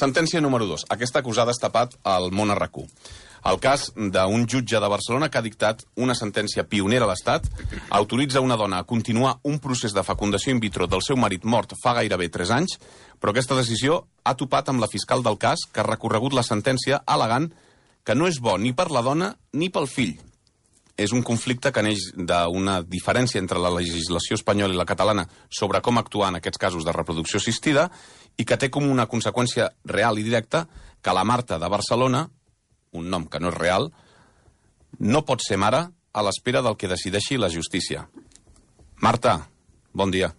Sentència número 2. Aquesta que us ha destapat el món RAC1. El cas d'un jutge de Barcelona que ha dictat una sentència pionera a l'Estat, autoritza una dona a continuar un procés de fecundació in vitro del seu marit mort fa gairebé 3 anys, però aquesta decisió ha topat amb la fiscal del cas, que ha recorregut la sentència al·legant que no és bo ni per la dona ni pel fill. És un conflicte que neix d'una diferència entre la legislació espanyola i la catalana sobre com actuar en aquests casos de reproducció assistida i que té com una conseqüència real i directa que la Marta de Barcelona, un nom que no és real, no pot ser mare a l'espera del que decideixi la justícia. Marta, bon dia.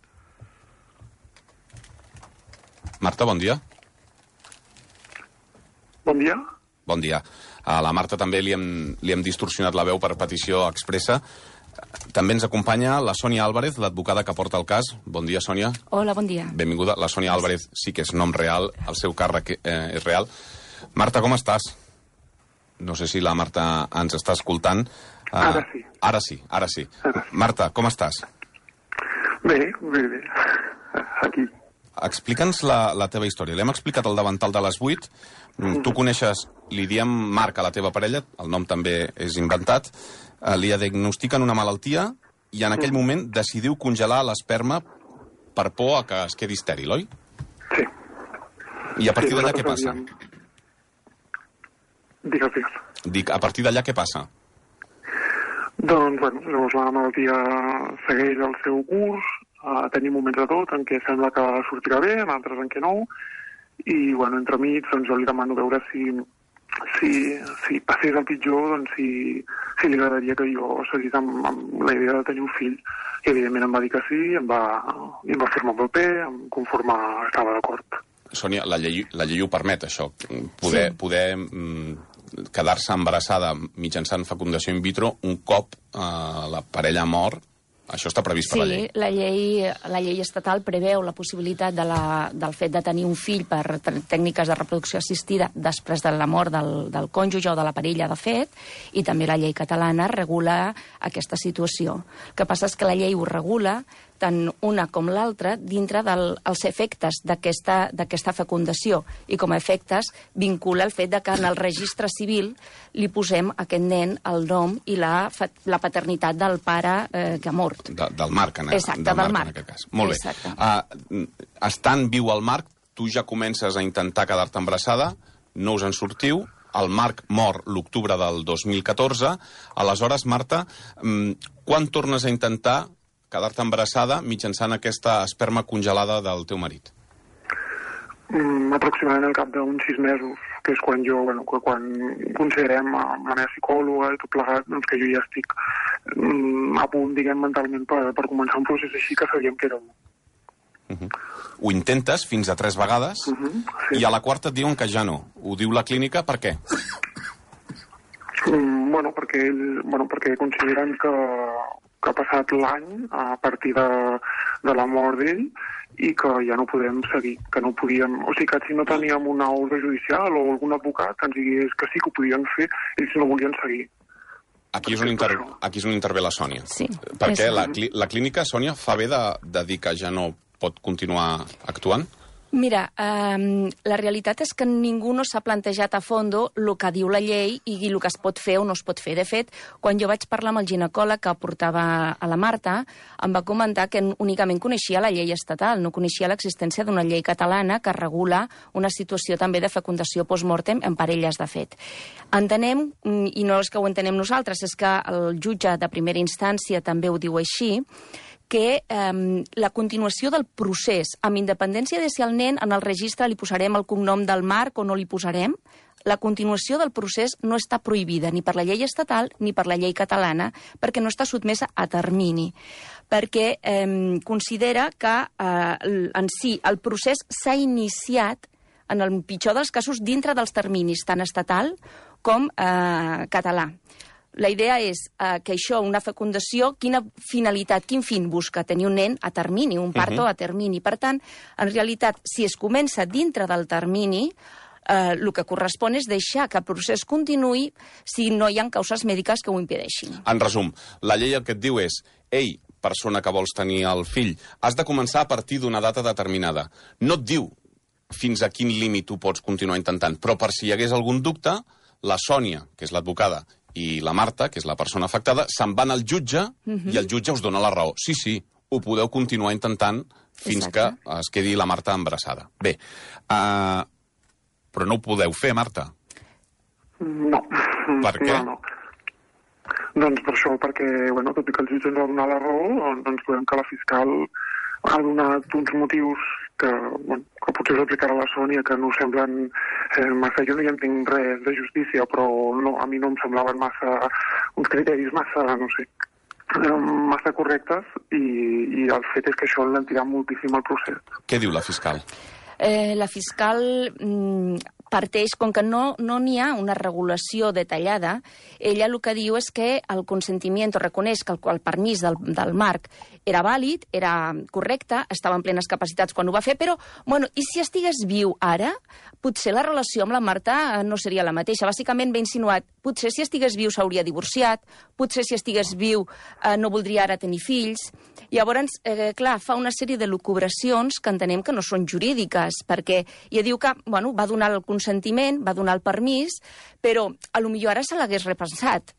Marta, bon dia. Bon dia. Bon dia. A la Marta també li hem distorsionat la veu per petició expressa. També ens acompanya la Sònia Álvarez, l'advocada que porta el cas. Bon dia, Sònia. Hola, bon dia. Benvinguda. La Sònia Álvarez sí que és nom real, el seu càrrec és real. Marta, com estàs? No sé si la Marta ens està escoltant. Ara sí. Ara sí, ara sí. Marta, com estàs? Bé. Aquí. Explica'ns la teva història. L'hem explicat al davantal de les 8. Tu coneixes, li diem Marc a la teva parella, el nom també és inventat, li diagnostiquen una malaltia i en aquell moment decidiu congelar l'esperma per por a que es quedi estèril, oi? Sí. I a partir d'allà què passa? Digues. Dic, a partir d'allà què passa? Doncs, llavors la malaltia segueix el seu curs, tenim moments de tot en què sembla que sortirà bé, en altres en què no, i, entremig, doncs jo li demano veure si passés el pitjor, doncs si li agradaria que jo seguís amb la idea de tenir un fill. I, evidentment, em va dir que sí, em va firmar el paper, conforme estava d'acord. Sònia, la llei ho permet, això, poder quedar-se embarassada mitjançant fecundació in vitro un cop la parella mor. Això està previst per la llei. Sí, la llei estatal preveu la possibilitat del fet de tenir un fill per tècniques de reproducció assistida després de la mort del cònjuge o de la parella, de fet, i també la llei catalana regula aquesta situació. El que passa és que la llei ho regula tant una com l'altra dintre dels efectes d'aquesta fecundació i com a efectes vincula el fet de que en el registre civil li posem a aquest nen el nom i la paternitat del pare que ha mort. Del Marc, Exacte, del Marc. En aquest cas. Molt bé. Estant viu el Marc, tu ja comences a intentar quedar-te embarassada, no us en sortiu, el Marc mor l'octubre del 2014, aleshores, Marta, quan tornes a intentar quedar-te embarassada mitjançant aquesta esperma congelada del teu marit? Aproximadament al cap d'uns 6 mesos, que és quan quan considerem amb la meva psicòloga i tot plegat, doncs que jo ja estic a punt, mentalment, per començar un procés així que sabíem que era bo. Ho intentes fins a 3 vegades i a la quarta et diuen que ja no. Ho diu la clínica, per què? Perquè consideren que ha passat l'any a partir de la mort d'ell i que ja no podem seguir, que no podíem... O sigui, que si no teníem una ordre judicial o algun advocat que ens digués que sí que ho podien fer, ells no volien seguir. Aquí és on intervé la Sònia. Sí. Perquè la clínica, Sònia, fa bé de dir que ja no pot continuar actuant? Mira, la realitat és que ningú no s'ha plantejat a fondo el que diu la llei i el que es pot fer o no es pot fer. De fet, quan jo vaig parlar amb el ginecòleg que portava a la Marta, em va comentar que únicament coneixia la llei estatal, no coneixia l'existència d'una llei catalana que regula una situació també de fecundació post-mortem en parelles, de fet. Entenem, i no és que ho entenem nosaltres, és que el jutge de primera instància també ho diu així, que la continuació del procés, amb independència de si al nen en el registre li posarem el cognom del Marc o no li posarem, la continuació del procés no està prohibida ni per la llei estatal ni per la llei catalana, perquè no està sotmesa a termini, perquè considera que en si el procés s'ha iniciat, en el pitjor dels casos, dintre dels terminis, tant estatal com català. La idea és que això, una fecundació, quina finalitat, quin fin busca? Tenir un nen a termini, un parto a termini. Per tant, en realitat, si es comença dintre del termini, el que correspon és deixar que el procés continuï si no hi ha causes mèdiques que ho impedeixin. En resum, la llei el que et diu és: ei, persona que vols tenir el fill, has de començar a partir d'una data determinada. No et diu fins a quin límit ho pots continuar intentant. Però per si hi hagués algun dubte, la Sònia, que és l'advocada, i la Marta, que és la persona afectada, se'n van al jutge i el jutge us dona la raó. Sí, ho podeu continuar intentant fins que es quedi la Marta embarassada. Bé, però no ho podeu fer, Marta? No. Per què? No. Doncs per això, perquè, tot i que el jutge ens ha donat la raó, doncs trobem que la fiscal ha donat uns motius que potser s'aplicarà a la Sònia, que no semblen massa... Jo no hi entenc res de justícia, però no, a mi no em semblaven uns criteris massa correctes, i el fet és que això l'entirà moltíssim al procés. Què diu la fiscal? La fiscal parteix, com que no n'hi ha una regulació detallada, ella el que diu és que el consentiment reconeix que el permís del Marc era vàlid, era correcte, estava en plenes capacitats quan ho va fer, però, i si estigués viu ara, potser la relació amb la Marta no seria la mateixa. Bàsicament ve insinuat, potser si estigués viu s'hauria divorciat, potser si estigués viu no voldria ara tenir fills. Llavors, clar, fa una sèrie de lucubracions que entenem que no són jurídiques, perquè ja diu que, va donar el consentiment, va donar el permís, però potser ara se l'hagués repensat.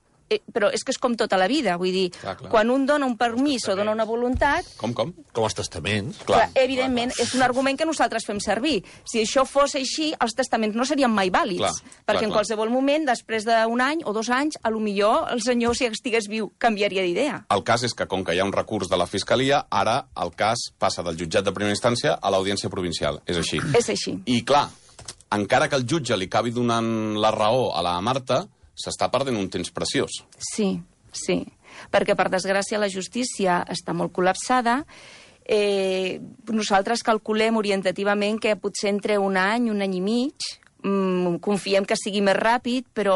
Però és que és com tota la vida, vull dir, quan un dona un permís o dona una voluntat... Com? Com els testaments. Evidentment, és un argument que nosaltres fem servir. Si això fos així, els testaments no serien mai vàlids, perquè en qualsevol moment, després d'un any o 2 anys, potser el senyor, si estigués viu, canviaria d'idea. El cas és que, com que hi ha un recurs de la Fiscalia, ara el cas passa del jutjat de primera instància a l'Audiència Provincial. És així. És així. I, clar, encara que el jutge li acabi donant la raó a la Marta, s'està perdent un temps preciós. Sí, perquè per desgràcia la justícia està molt col·lapsada. Nosaltres calculem orientativament que potser entre un any i mig, confiem que sigui més ràpid, però,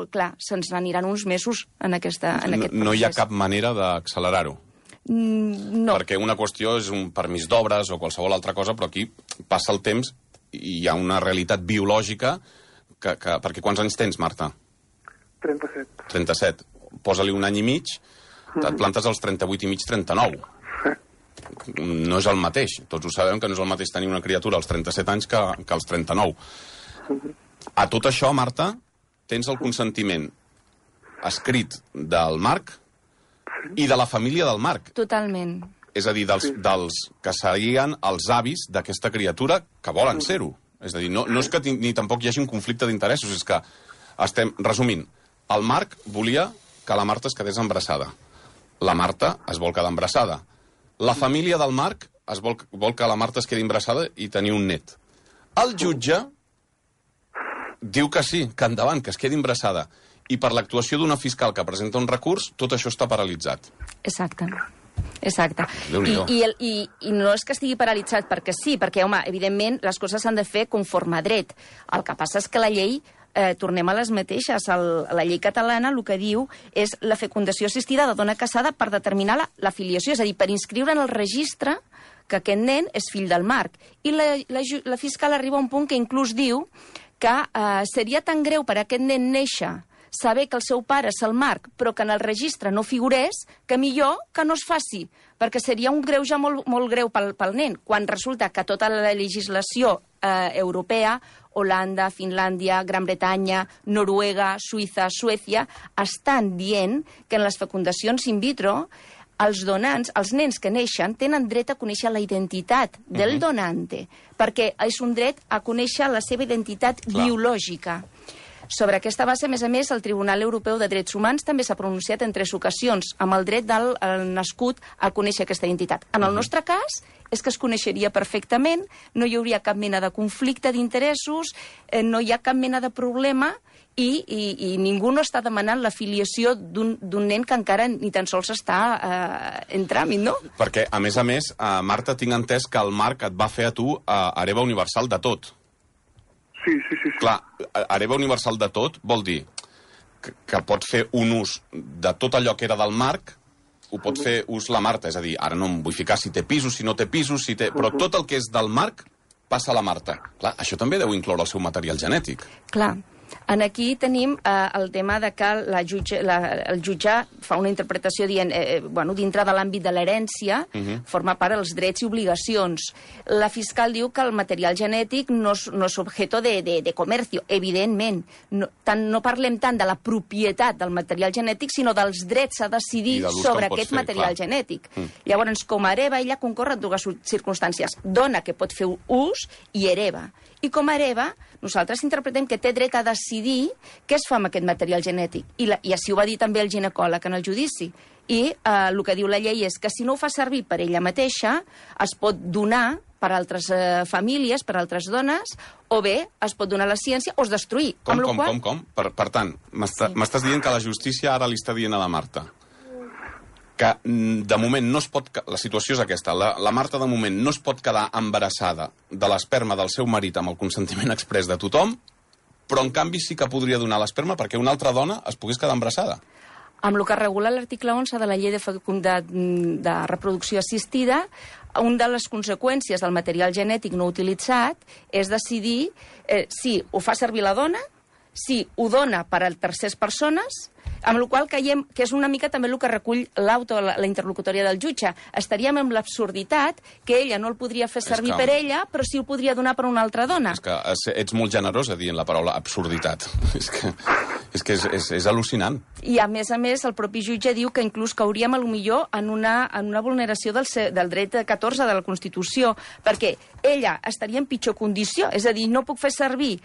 clar, se'ns aniran uns mesos en aquest procés. No hi ha cap manera d'accelerar-ho? No. Perquè una qüestió és un permís d'obres o qualsevol altra cosa, però aquí passa el temps i hi ha una realitat biològica perquè quants anys tens, Marta? 37. 37. Posa-li un any i mig, et plantes als 38 i mig, 39. No és el mateix. Tots ho sabem que no és el mateix tenir una criatura als 37 anys que als 39. A tot això, Marta, tens el consentiment escrit del Marc i de la família del Marc. Totalment. És a dir, dels que serien els avis d'aquesta criatura que volen ser-ho. És a dir, no és que ni tampoc hi hagi un conflicte d'interessos, és que estem resumint. El Marc volia que la Marta es quedés embarassada. La Marta es vol quedar embarassada. La família del Marc vol que la Marta es quedi embarassada i tenir un net. El jutge diu que sí, que endavant, que es quedi embarassada. I per l'actuació d'una fiscal que presenta un recurs, tot això està paralitzat. Exacte. I no és que estigui paralitzat perquè sí, perquè, evidentment, les coses s'han de fer conforme a dret. El que passa és que la llei, tornem a les mateixes, la llei catalana el que diu és la fecundació assistida de dona casada per determinar la filiació, és a dir, per inscriure en el registre que aquest nen és fill del Marc. I la fiscal arriba a un punt que inclús diu que seria tan greu per a aquest nen néixer saber que el seu pare és el Marc, però que en el registre no figurés, que millor que no es faci, perquè seria un greuge molt greu pel nen, quan resulta que tota la legislació europea, Holanda, Finlàndia, Gran Bretanya, Noruega, Suïssa, Suècia, estan dient que en les fecundacions in vitro els donants, els nens que neixen, tenen dret a conèixer la identitat del donante, perquè és un dret a conèixer la seva identitat biològica. Sobre aquesta base, a més, el Tribunal Europeu de Drets Humans també s'ha pronunciat en 3 ocasions amb el dret del nascut a conèixer aquesta identitat. En el nostre cas, és que es coneixeria perfectament, no hi hauria cap mena de conflicte d'interessos, no hi ha cap mena de problema i ningú no està demanant la filiació d'un nen que encara ni tan sols està en tràmit, no? Perquè, a més, Marta, tinc entès que el Marc et va fer a tu hereva universal de tot. Sí. Clar, hereva universal de tot vol dir que pot fer un ús de tot allò que era del Marc, ho pot fer ús la Marta, és a dir, ara no em vull ficar si té pisos, si no té pisos, però tot el que és del Marc passa a la Marta. Clar, això també deu incloure el seu material genètic. Clar, En aquí tenim el tema de que el jutge fa una interpretació dient, dintre de l'àmbit de l'herència, forma part dels drets i obligacions. La fiscal diu que el material genètic no és objeto de comercio, evidentment. No parlem tant de la propietat del material genètic, sinó dels drets a decidir sobre aquest material genètic. Llavors, com a hereva, ella concorre en dues circumstàncies. Dona que pot fer ús i hereva. I com a hereva, nosaltres interpretem que té dret a decidir què es fa amb aquest material genètic. I així ho va dir també el ginecòleg en el judici. I el que diu la llei és que si no ho fa servir per ella mateixa, es pot donar per altres famílies, per altres dones, o bé es pot donar a la ciència o es destruir. Com? Per tant, m'estàs dient que la justícia ara li està dient a la Marta que de moment no es pot... La situació és aquesta. La Marta de moment no es pot quedar embarassada de l'esperma del seu marit amb el consentiment exprés de tothom, però en canvi sí que podria donar l'esperma perquè una altra dona es pogués quedar embarassada. Amb el que regula l'article 11 de la llei de reproducció assistida, una de les conseqüències del material genètic no utilitzat és decidir si ho fa servir la dona, si ho dona per a terceres persones, amb la qual cosa creiem que és una mica també el que recull la interlocutòria del jutge. Estaríem amb l'absurditat que ella no el podria fer servir per ella, però sí ho podria donar per una altra dona. És que ets molt generosa dient la paraula absurditat. És que és al·lucinant. I, a més, el propi jutge diu que inclús cauríem, potser en una vulneració del dret 14 de la Constitució, perquè ella estaria en pitjor condició. És a dir, no puc fer servir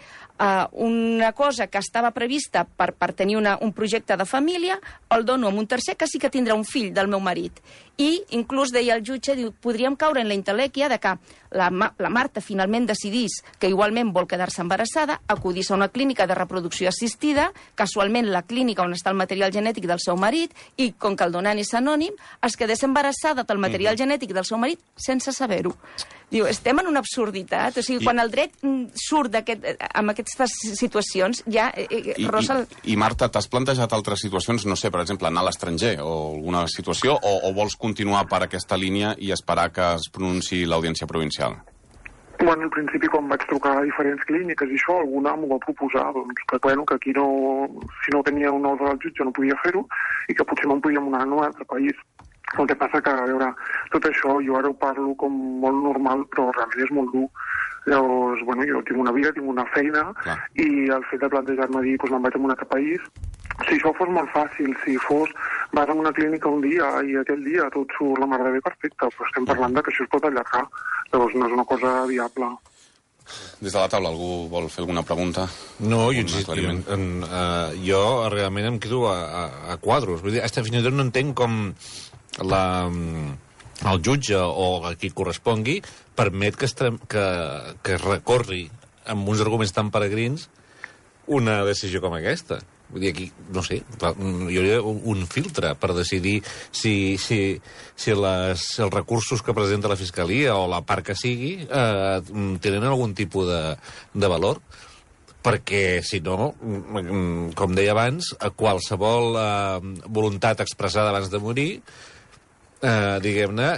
una cosa que estava prevista per tenir un projecte de família, el dono a un tercer que sí que tindrà un fill del meu marit. I, inclús, deia el jutge, podríem caure en la intel·lèquia de que la Marta finalment decidís que igualment vol quedar-se embarassada, acudís a una clínica de reproducció assistida, casualment la clínica on està el material genètic del seu marit, i com que el donant és anònim, es quedés embarassada del material genètic del seu marit sense saber-ho. Diu, estem en una absurditat. O sigui, quan el dret surt amb aquestes situacions, ja rosa... I Marta, t'has plantejat altres situacions? No sé, per exemple, anar a l'estranger o alguna situació? O vols continuar per aquesta línia i esperar que es pronunciï l'Audiència Provincial? Bueno, al principi, quan vaig trucar a diferents clíniques i això, alguna m'ho va proposar, doncs, que aquí no, si no tenia un ordre del jutge no podia fer-ho i que potser me'n podíem anar a un altre país. El que passa que, a veure, tot això jo ara ho parlo com molt normal, però realment és molt dur. Llavors, bueno, jo tinc una vida, tinc una feina, i el fet de plantejar-me dir, doncs me'n vaig a un altre país, si això fos molt fàcil, si fos vas a una clínica un dia i aquell dia tot surt la mar de bé perfecte, però estem parlant que això es pot allargar, llavors no és una cosa viable. Des de la taula, algú vol fer alguna pregunta? No, jo insisto, jo realment em quedo a quadros. Vull dir, fins i tot no entenc com el jutge o a qui correspongui permet que es recorri amb uns arguments tan peregrins una decisió com aquesta. Vull dir, aquí, no sé, hi hauria un filtre per decidir si els recursos que presenta la Fiscalia o la part que sigui tenen algun tipus de valor, perquè, si no, com deia abans, qualsevol voluntat expressada abans de morir, diguem-ne,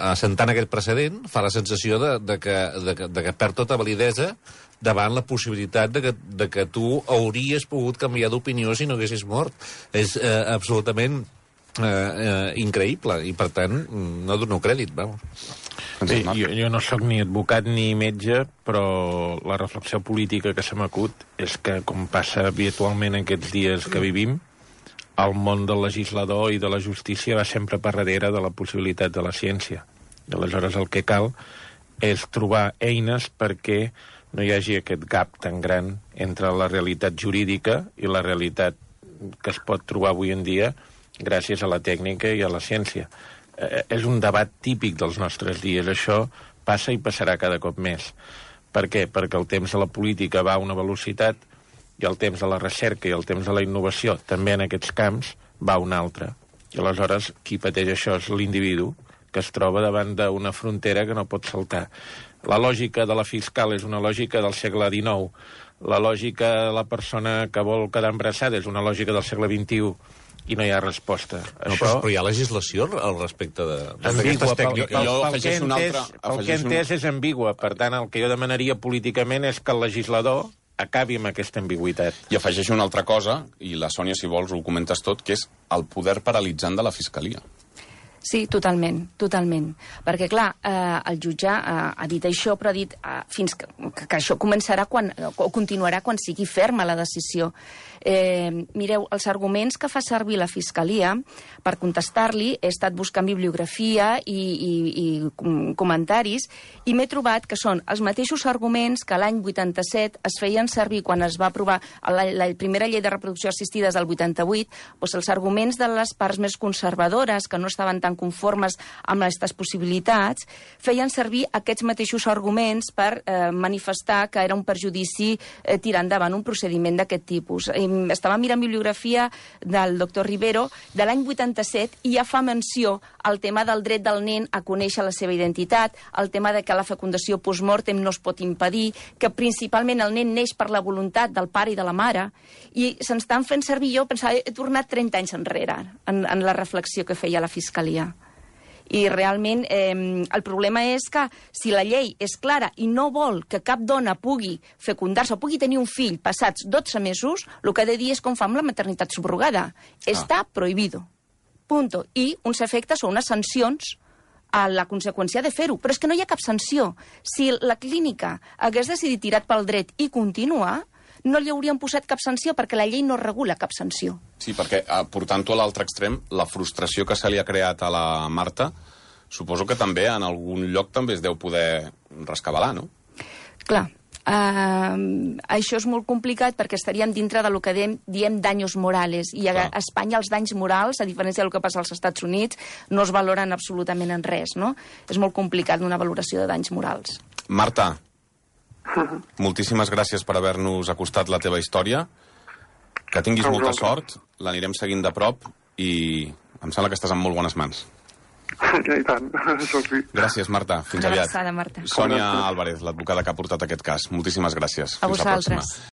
assentant aquest precedent, fa la sensació de que perd tota validesa davant la possibilitat de que tu hauries pogut canviar d'opinió si no haguessis mort. És absolutament increïble i, per tant, no dono crèdit, vamos. Bé, jo no sóc ni advocat ni metge, però la reflexió política que se m'acut és que, com passa habitualment aquests dies que vivim, el món del legislador i de la justícia va sempre per darrere de la possibilitat de la ciència. I aleshores el que cal és trobar eines perquè no hi hagi aquest gap tan gran entre la realitat jurídica i la realitat que es pot trobar avui en dia gràcies a la tècnica i a la ciència. És un debat típic dels nostres dies. Això passa i passarà cada cop més. Per què? Perquè el temps de la política va a una velocitat i el temps de la recerca i el temps de la innovació, també en aquests camps, va a una altra. I aleshores, qui pateix això és l'individu que es troba davant d'una frontera que no pot saltar. La lògica de la fiscal és una lògica del segle XIX. La lògica de la persona que vol quedar embarassada és una lògica del segle XXI i no hi ha resposta. No, però hi ha legislació al respecte d'aquestes tècniques. Pel que he entès és ambigua. Per tant, el que jo demanaria políticament és que el legislador acabi amb aquesta ambigüitat. I afegeixo una altra cosa, i la Sònia, si vols, ho comentes tot, que és el poder paralitzant de la Fiscalia. Sí, totalment, totalment. Perquè, clar, el jutge ha dit això, però ha dit fins que això començarà o continuarà quan sigui ferma la decisió. Mireu, els arguments que fa servir la Fiscalia per contestar-li, he estat buscant bibliografia i comentaris, i m'he trobat que són els mateixos arguments que l'any 87 es feien servir quan es va aprovar la primera llei de reproducció assistida del 88, doncs els arguments de les parts més conservadores, que no estaven tan conformes amb aquestes possibilitats, feien servir aquests mateixos arguments per manifestar que era un perjudici tirar endavant un procediment d'aquest tipus. Estava mirant bibliografia del doctor Rivero de l'any 87 i ja fa menció al tema del dret del nen a conèixer la seva identitat, el tema de que la fecundació postmortem no es pot impedir, que principalment el nen neix per la voluntat del pare i de la mare, i se'ns estan fent servir, jo pensava, he tornat 30 anys enrere en la reflexió que feia la Fiscalia. I realment el problema és que si la llei és clara i no vol que cap dona pugui fecundar-se o pugui tenir un fill passats 12 mesos, el que ha de dir és com fa amb la maternitat subrogada. Està prohibido. Punto. I uns efectes o unes sancions a la conseqüència de fer-ho. Però és que no hi ha cap sanció. Si la clínica hagués decidit tirar pel dret i continuar, no li haurien posat cap sanció perquè la llei no regula cap sanció. Sí, perquè portant-ho a l'altre extrem, la frustració que se li ha creat a la Marta, suposo que també en algun lloc també es deu poder rescabalar, no? Clar, això és molt complicat perquè estaríem dintre del que diem daños morales, i a Espanya els danys morals, a diferència del que passa als Estats Units, no es valoren absolutament en res, no? És molt complicat una valoració de danys morals. Marta, moltíssimes gràcies per haver-nos acostat la teva història. Que tinguis molta sort, l'anirem seguint de prop i em sembla que estàs en molt bones mans. I tant, això sí. Gràcies, Marta. Fins aviat. Una abraçada, Marta. Sònia Álvarez, l'advocada que ha portat aquest cas. Moltíssimes gràcies. A vosaltres.